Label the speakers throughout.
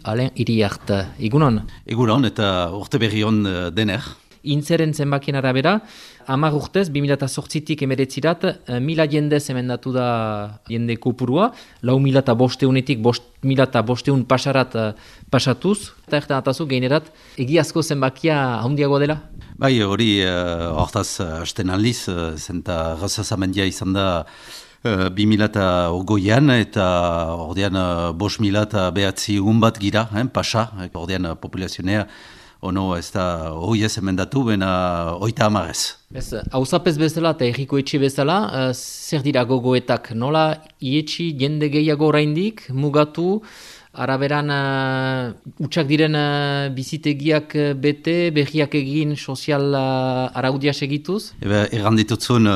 Speaker 1: Alain Iriart, egunon?
Speaker 2: Egunon eta urte berri hon dener.
Speaker 1: Intzeren zenbakien arabera, 10 urtez, 2008tik emeretzirat, 1000 jendez emendatu da jende kopurua, 4.500-etik 5.500 pasarat pasatuz, eta ertan atazu geinerat, egiazko zenbakia handiago dela?
Speaker 2: Bai, hori hortaz hasten aldiz, zenta gazazamendia izan da 2008an eta ordean 5.000 bat gira, pasa, ordean populazionea ono ez da hoi ez emendatu, bena 30.
Speaker 1: Ez, hauzapez bezala eta erriko etxe bezala, zer dira gogoetak, nola ietxi jende gehiago oraindik, mugatu, araberan utxak diren bizitegiak bete, berriak egin sozial araudia segituz?
Speaker 2: Erran ditutzun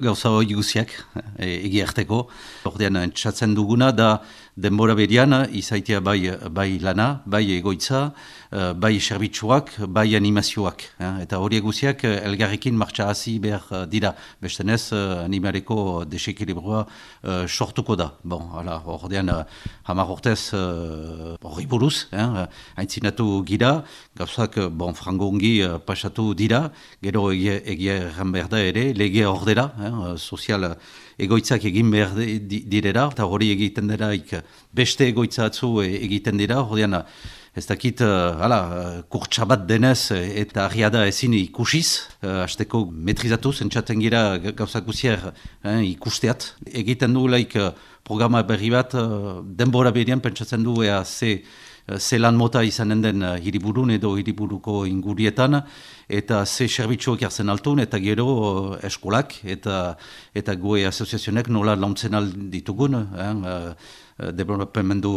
Speaker 2: gauza hori guziak egiarteko. Ordean entzatzen duguna da denbora berian izaitea bai lana, bai egoitza, bai serbitzuak, bai animazioak. Eta hori guziak elgarrekin martxa hasi behar dira. Bestenez animareko desekilibrua sortuko da. Bon, ordean 10 urtez horri buruz, haintzinatu gira, gauzak frango ongi pasatu dira, gero egia erran behar da ere, lege ordera, sozial egoitzak egin behar direra, eta hori egiten diraik beste egoitza atzu egiten dira, ordean ez dakit, kurtsabat denez eta arriada ezin ikusiz, hasteko metrizatu, zentsaten gira gauzak guzier ikusteat. Egiten du programa berri bat, denbora berian pentsatzen du ze lan mota izanen den hiriburun edo hiriburuko ingurietan, eta ze serbitzuak jartzen altun, eta gero eskolak eta goe asoziazionek nola launtzen alditugun, developamendu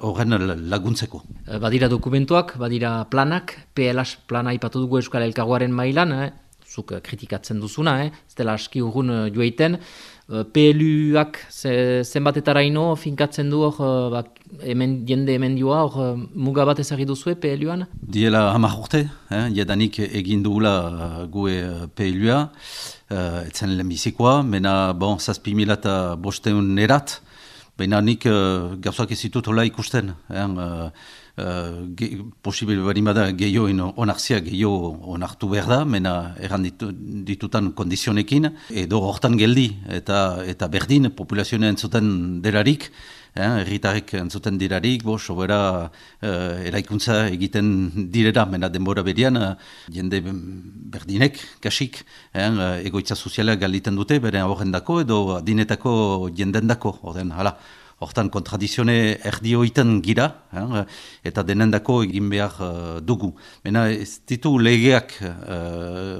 Speaker 2: horren laguntzeko.
Speaker 1: Badira dokumentuak, badira planak, PLH plana ipatu dugu Euskal Elkargoaren mailan, zuk kritikatzen duzuna, ez dela aski urrun joeiten, PLUak zenbatetaraino finkatzen du hor, jende emendioa, hor muga bat ezagri duzue PLUan?
Speaker 2: Diela 10 urte, jadanik egin dugula gue PLUa, etzen lehenbizikoa, mena 7.500 erat, baina nik gauzak ez ditut hola ikusten. Posibil barimada gehioen onartzia gehiago onartu behar da, mena erran ditutan kondizionekin, edo hortan geldi eta berdin populazioa entzuten delarik, herritarrek entzuten dirarik, sobera eraikuntza egiten direra, mena denbora berian, jende berdinek, kasik, egoitza soziala galiten dute, bere horrendako edo adinetako jendendako, hortan kontradizione erdioiten gira, eta denendako egin behar dugu. Mena ez ditu legeak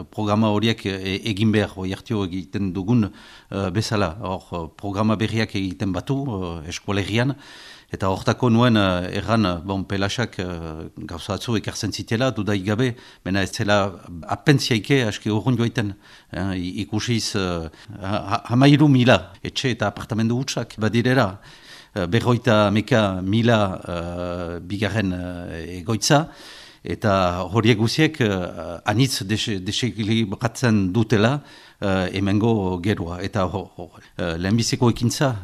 Speaker 2: programa horiek egin behar, oiartio egiten dugun bezala. Hor programa berriak egiten batu eskolegian, eta hortako nuen erran pelasak gauza atzu ekartzen zitela, dudaik gabe, mena ez zela apentziaike aski urrun joaiten. Ikusiz 13.000 etxe eta apartamendu hutsak badirera, 50.000 bigarren egoitza, eta horiek guziek anitz desekilibratzen dutela hemengo gerua. Eta lehenbiziko ekintza,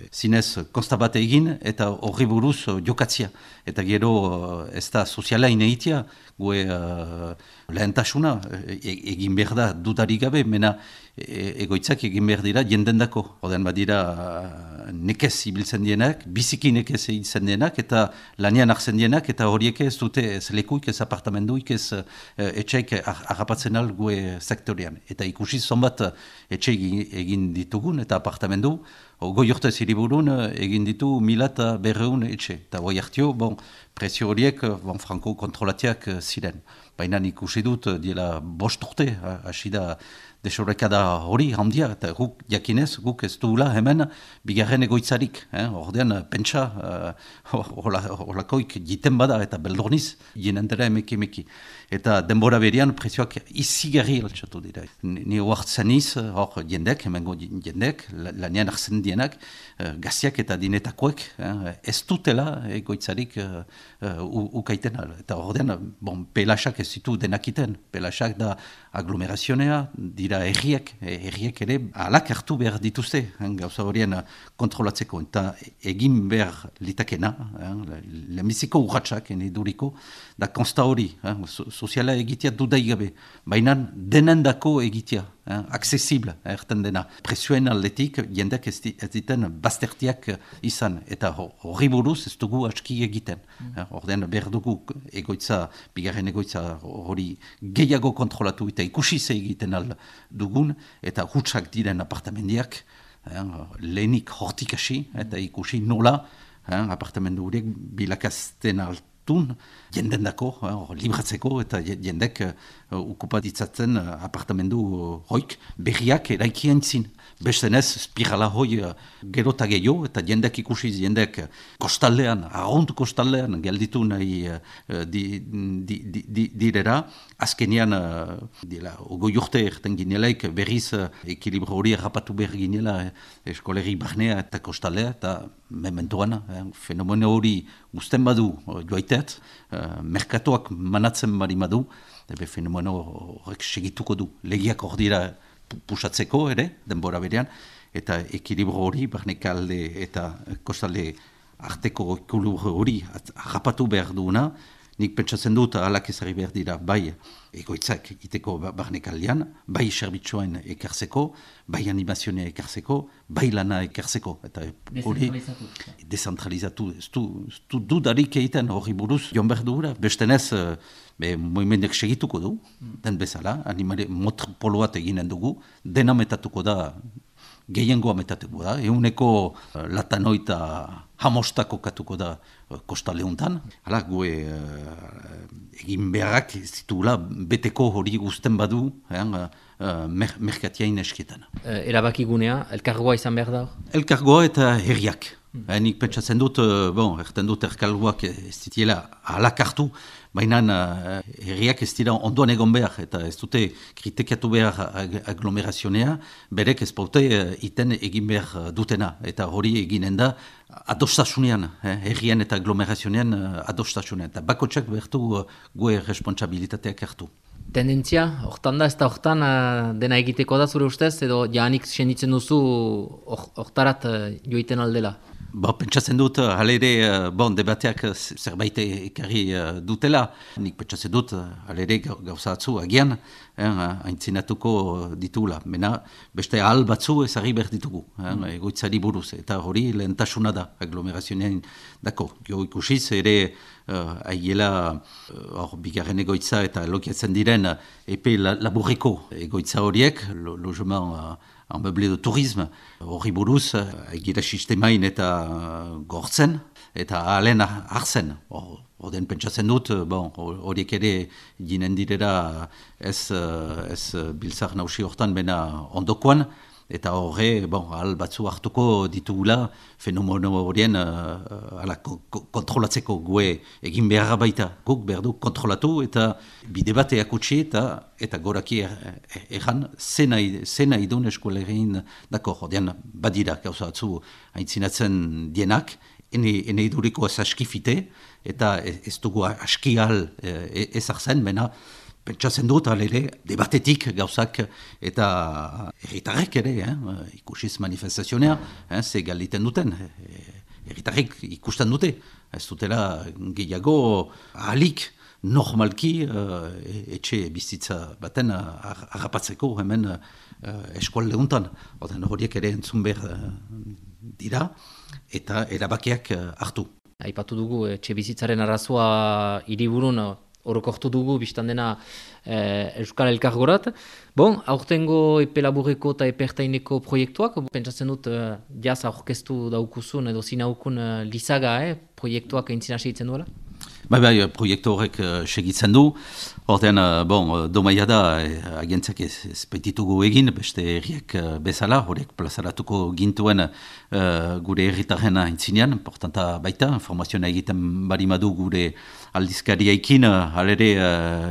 Speaker 2: zinez konsta bat egin, eta horri buruz jokatzia. Eta gero ez da soziala ineitia, gue lehentasuna egin behar da dudarik gabe, mena egoitzak egin behar dira jendendako. Oden badira nekez ibiltzen dienak, biziki nekez ibiltzen dienak, eta lanian hartzen dienak, eta horiek ez dute ez lekuik, ez apartamenduik, ez etxeik harrapatzen al gue sektorian. Eta ikusi zonbat etxe egin ditugun, eta apartamendu, goi urtez hiriburun egin ditu 1.200 etxe. Eta goi hartio, prezio horiek franko kontrolatiak ziren. Baina ikusi dut, diela 5 urte, hasi da desorekada hori handia, eta guk jakinez, guk ez duela hemen bigarren egoitzarik. Ordean, pentsa, holakoik jiten bada eta beldorniz, jenendera emeki. Eta denbora berian prezioak izigarri altxatu dira. Ni oartzen iz, hor jendek, hemengo jendek, lanian arzen dienak, gaziak eta dinetakoek, ez dutela egoitzarik ukaiten. Eta ordean, pelasak ez ditu denakiten. Pelasak da aglomerazionea, dira herriek ere alak hartu behar dituzte, gauza horien kontrolatzeko, eta egin behar litakena, lehenbiziko urratxak, duriko, da konsta hori, soziala egitea dudaigabe, baina denendako egitea, accesible, erten dena. Presioen aldetik, jendeak ez diten baztertiak izan, eta horri buruz ez dugu aski egiten. Ordean behar dugu egoitza, bigarren egoitza hori gehiago kontrolatu eta ikusi ze egiten dugun, eta hutsak diren apartamendiak, lehenik hortik hasi, eta ikusi nola, apartamendu horiek bilakazten jenden dako, libratzeko, eta jendek ukupatitzatzen apartamendu hoik berriak eraikien zin. Bestenez, spirala hoi gerota gehiago, eta jendek ikusiz, jendek kostaldean, arront kostaldean, gelditu nahi direra, azkenian, ogoi urte erten ginelaik, berriz ekilibro hori errapatu behar ginela eskoleri barnea eta kostaldea, eta mementoan, fenomeno hori usten badu joaitet, merkatoak manatzen bari badu, fenomeno horrek segituko du. Legiak hor dira pusatzeko ere, denbora berean, eta ekilibro hori, barnekalde eta kostalde arteko ekilibro hori harrapatu behar duena, nik pentsatzen dut alak ezari behar dira bai egoitzak iteko barnekaldean, bai serbitxoen ekartzeko, bai animazionea ekartzeko, bai lana ekartzeko. Eta hori dezentralizatu. Ez du dudarik egiten hori buruz joan behar dugura. Bestenez, moimendek segituko du, den bezala, motropolo bat eginen dugu, dena metatuko da, gehiengoa metatuko da, eguneko latanoita hamostako katuko da kostaleuntan. Hala, gue egin beharrak zitula beteko hori guzten badu merkatiain esketan.
Speaker 1: Erabakigunea, elkargoa izan behar da?
Speaker 2: Elkargoa eta herriak. Nik pentsatzen dut, erten dut elkargoak ez ditiela alak hartu, baina herriak ez dira ondoan egon behar, eta ez dute kritikatu behar aglomerazionea, berek ez baute iten egin behar dutena, eta hori eginen da adostasunean, herrian eta aglomerazionean adostasunean, eta bakotsak behartu gue responsabilitateak hartu.
Speaker 1: Tendentzia, hortan da, ez da hortan dena egiteko da zure ustez, edo jaanik senditzen duzu hortarat joiten aldela?
Speaker 2: Pentsatzen dut, halere, debateak zerbait ekarri dutela. Nik pentsatzen dut, halere gauza atzu agian, haintzinatuko ditula. Mena, beste ahal batzu ezagri behar ditugu, egoitzari buruz. Eta hori lehentasuna da, aglomerazionean dako. Jo ikusiz, ere, aiela, bigarren egoitza eta lokiatzen diren, epe laburreko egoitza horiek, logement en meublé de tourisme, hori buruz, egira sistemain eta gortzen, eta ahalen hartzen. Oden pentsatzen dut, horiek ere ginen direra ez biltzak nausi hortan bena ondokoan, eta horre, ahal batzu hartuko ditugula fenomeno horien kontrolatzeko gue egin beharra baita. Guk behar du kontrolatu eta bide bateak utzi eta goraki erran zena idun eskolerein dako. Jodean badira gauza atzu aintzinatzen dienak, ene iduriko ez askifite eta ez dugu aski ahal ezartzen, bena pentsatzen dut, alere, debatetik gauzak eta herritarrek ere, ikusiz manifestazionea, ze galiten duten, herritarrek ikusten dute, ez dutela gehiago ahalik normalki etxe bizitza baten harrapatzeko hemen eskualde untan. Horiek ere entzun behar dira eta erabakiak hartu.
Speaker 1: Aipatu dugu etxe bizitzaren arazoa hiriburun orokortu dugu, biztan dena Euskal Elkargorat. Aurtengo epe laburreko eta epe ertaineko proiektuak, pentsatzen dut jaz aurkeztu daukuzun edo zinaukun lizaga, proiektuak aintzina segitzen duela?
Speaker 2: Bai, proiektu horrek segitzen du. Horten, domaia da, agentziak ez petitugu egin, beste herriak bezala, horiek plazaratuko gintuen gure herritarren aintzinean, importanta baita, informazioa egiten barimadu gure aldizkariaikin, halere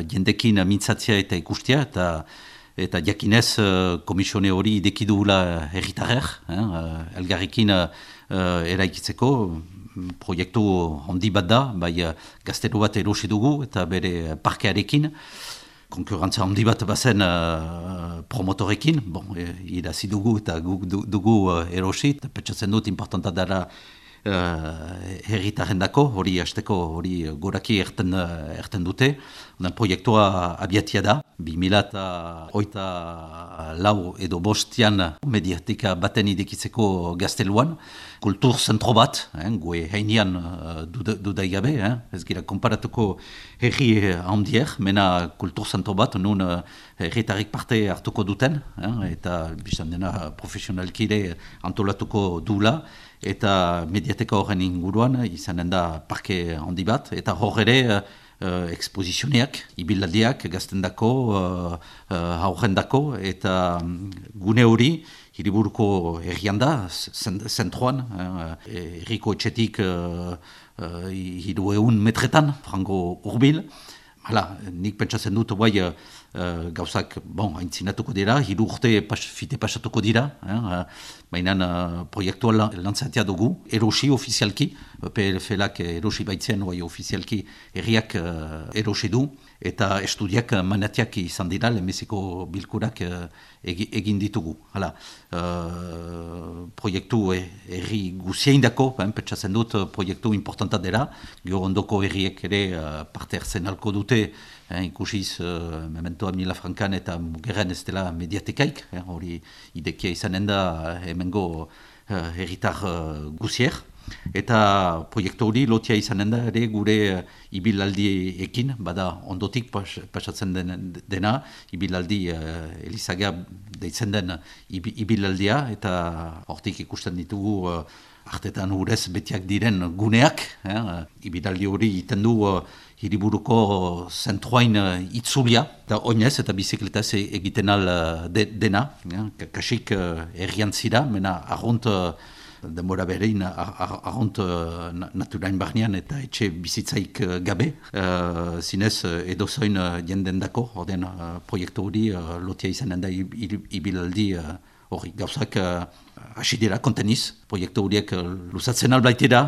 Speaker 2: jendekin mintzatzea eta ikustea, eta jakinez komisione hori idekidugula herritarrer, elgarrekin eraikitzeko, proiektu handi bat da, bai gaztelu bat erosi dugu eta bere parkearekin. konkurrantza handi bat bazen promotorekin, irazi dugu eta dugu erosi, eta pentsatzen dut importanta dara herritarren dako, hori hasteko hori goraki erten dute. Proiektua abiatia da, 2008 edo bostian mediatika baten idikitzeko Gazteluan, kultur zentro bat, gue heinean dudaigabe, ez gira konparatuko herri handier, mena kultur zentro bat, nun herritarik parte hartuko duten, eta biztan dena profesionalkide antolatuko dula, eta mediateka horren inguruan izanen da parke handi bat, eta hor ere ekspozizioneak, ibilaldiak, gaztendako, haurrendako, eta gune hori, hiriburuko herrian da, zentroan, herriko etxetik 300 metretan, frango urbil. Hala, nik pentsatzen dut, gauzak, haintzinatuko dira, 3 urte fite pasatuko dira, baina proiektua lantzatea dugu, erosi ofizialki, PLF-lak erosi baitzen, ofizialki herriak erosi du, eta estudiak manatiak izan dira, lehenbiziko bilkurak egin ditugu. Hala, proiektu herri guzieindako, pentsatzen dut proiektu importanta dela, gero ondoko herriek ere parte hartzen alko dute, ikusiz mementoa Milafrankan eta Mugerren ez dela mediatekaik, hori idekia izanen da hemengo herritar guzier. Eta proiektu hori lotia izanen da ere gure ibilaldi bada ondotik pasatzen dena, ibilaldi Elizaga deitzen den ibilaldia, eta hortik ikusten ditugu artetan urez betiak diren guneak, ibilaldi hori iten du hiriburuko zentroain itzulia, eta oinez eta bizikletaz egiten al dena, kasik errian zira, mena arrunt denbora berein arrunt naturain barnean eta etxe bizitzaik gabe, zinez edozoin jenden dako, orden proiektu hori lotia izanen da ibilaldi hori gauzak hasi dira konteniz, proiektu horiek luzatzen albaitera,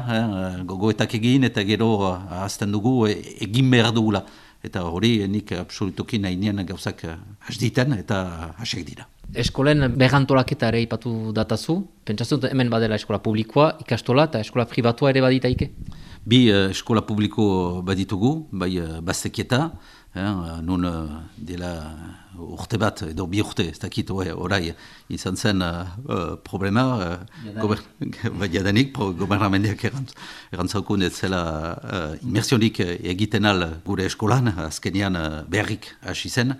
Speaker 2: gogoetak egin eta gero ahazten dugu egin behar dugula. Eta hori nik absolutoki nahi nien gauzak hasditen eta hasek dira.
Speaker 1: Eskolen berrantolaketa ere ipatu datazu, pentsatzen dut hemen badela eskola publikoa, ikastola eta eskola pribatua ere baditaike?
Speaker 2: Bi eskola publiko baditugu, bai Baztekieta, nun dela urte bat edo 2 urte, ez dakit orai izan zen problema, jadanik gobernamendiak erantzaukun ez zela immersionik egiten al gure eskolan, azkenean beharrik hasi zen,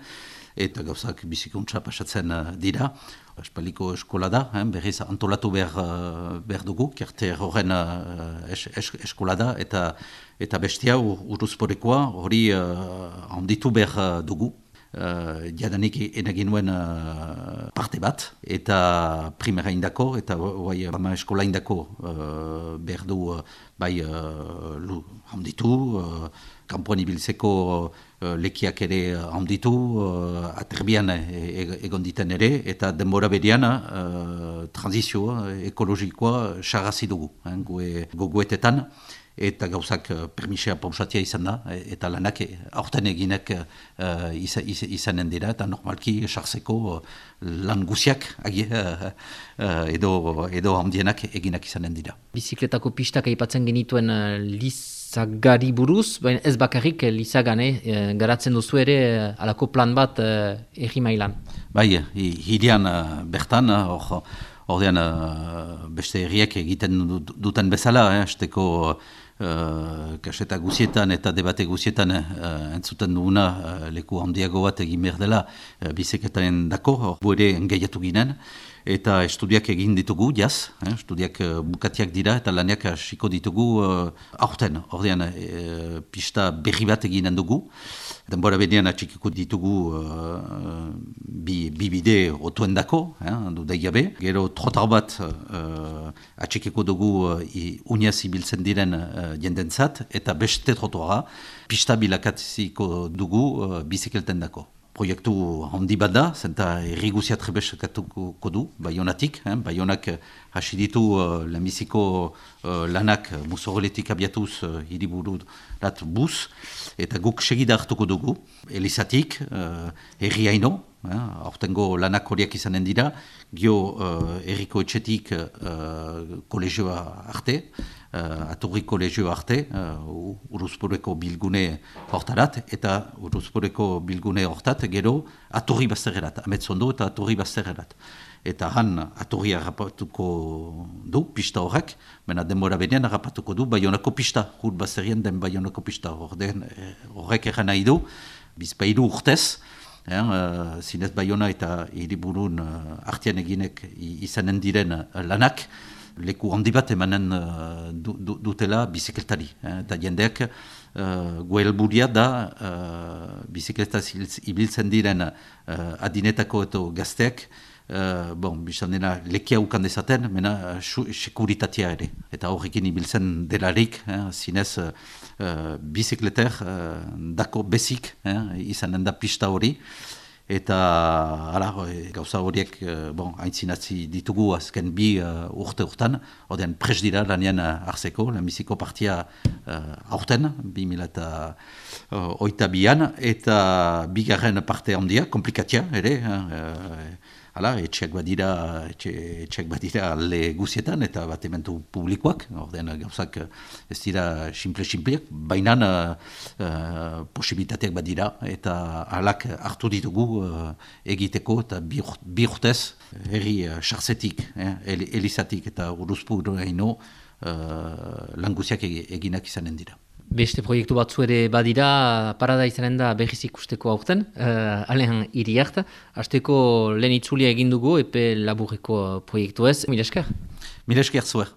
Speaker 2: eta gauzak bizikuntza pasatzen dira. Espaliko eskola da, berriz antolatu behar dugu, kerte horren eskola da, eta bestia uruzporekoa hori handitu behar dugu. Jadanik enagin nuen parte bat, eta primera indako, eta eskola indako behar du bai handitu, kanpoan ibiltzeko lekiak ere handitu, aterbian egon diten ere, eta denbora berean transizioa ekologikoa sarrazi dugu, gogoetetan, eta gauzak permisea pausatia izan da, eta lanak aurten eginak izanen dira, eta normalki sartzeko lan guziak edo handienak eginak izanen dira.
Speaker 1: Bizikletako pistak aipatzen genituen Lizagari buruz, baina ez bakarrik Lizagan garatzen duzu ere alako plan bat erri mailan.
Speaker 2: Bai, hirian bertan, ordean beste herriek egiten duten bezala, esteko kaseta guzietan eta debate guzietan entzuten duguna leku handiago bat egin behar dela bizikletaren dako, ere engaiatu ginen, eta estudiak egin ditugu, jaz, estudiak bukatiak dira eta laniak hasiko ditugu aurten, ordean pista berri bat eginen dugu. Denbora benean atxikiko ditugu bi bide otuen dako, dudai gabe. Gero trotar bat atxikiko dugu uniaz ibiltzen diren jendentzat, eta beste trotoara pista bilakatziko dugu bizikelten dako. proiektu handi bat da, zenta errigusia trebeskatuko du, Baionatik. Baionak hasi ditu lehenbiziko lanak Musoreletik abiatuz hiribururat bus, eta guk segida hartuko dugu, Elizatik, herriaino, aurtengo lanak horiak izanen dira, gio herriko etxetik kolegioa arte, Aturri kolegioa arte, Uruzporeko bilgune hortarat, eta Uruzporeko bilgune hortat, gero Aturri bazterrerat, Ametzondo eta Aturri bazterrerat. Eta han Aturri harrapatuko du, pista horrek, baina denbora benean harrapatuko du Baionako pista, hur bazterrien den Baionako pista horrek eran nahi du, bizpailu urtez, zinez Baiona eta hiriburun artean eginek izanen diren lanak, leku handi bat emanen dutela bizikletari. Eta jendeak goelburia da bizikletaz ibiltzen diren adinetako eta gazteak, biztan dena lekia ukan dezaten, mena sekuritatea ere. Eta horrekin ibiltzen delarik, zinez bizikleter dako bezik izanen da pista hori. Eta gauza horiek haintzinatzi ditugu azken bi urte urtan, odean pres dira lanean hartzeko, lehenbiziko partia aurten, 2008an, eta bigarren parte handia, komplikatia ere, etxeak badira alde guzietan eta batementu publikoak, ordean gauzak ez dira simple-simpleak, baina posibilitateak badira eta alak hartu ditugu egiteko eta bi urtez herri sartzetik, Elizatik eta Uruzpuraino lan guziak eginak izanen dira.
Speaker 1: Beste proiektu batzu ere badira, parada izanen da berriz ikusteko aurten, alean hiriart. Hasteko lehen itzulia egin dugu, epe laburreko proiektu ez. Mila esker?
Speaker 2: Mila esker zuer.